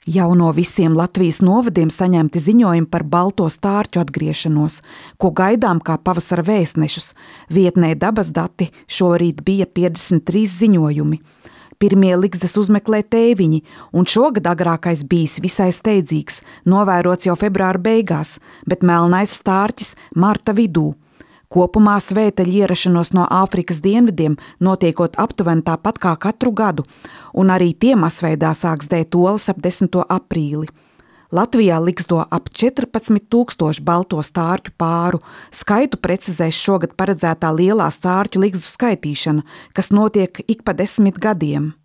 Jau no visiem Latvijas novadiem saņemti ziņojumi par balto stārķu atgriešanos, ko gaidām kā pavasara vēstnešus. Vietnē Dabas dati šorīt bija 53 ziņojumi. Pirmie ligzdas uzmeklē tēviņi, un šogad agrākais bijis visai steidzīgs, novērots jau februāra beigās, bet melnais stārķis marta vidū. Kopumā svēteļu ierašanos no Āfrikas dienvidiem notiekot aptuveni tāpat kā katru gadu, un arī tie masveidā sāks dēt olas ap 10. aprīli. Latvijā ligzdo ap 14,000 balto stārķu pāru. Skaitu precizēs šogad paredzētā lielā stārķu ligzdu skaitīšana, kas notiek ik pa 10 gadiem.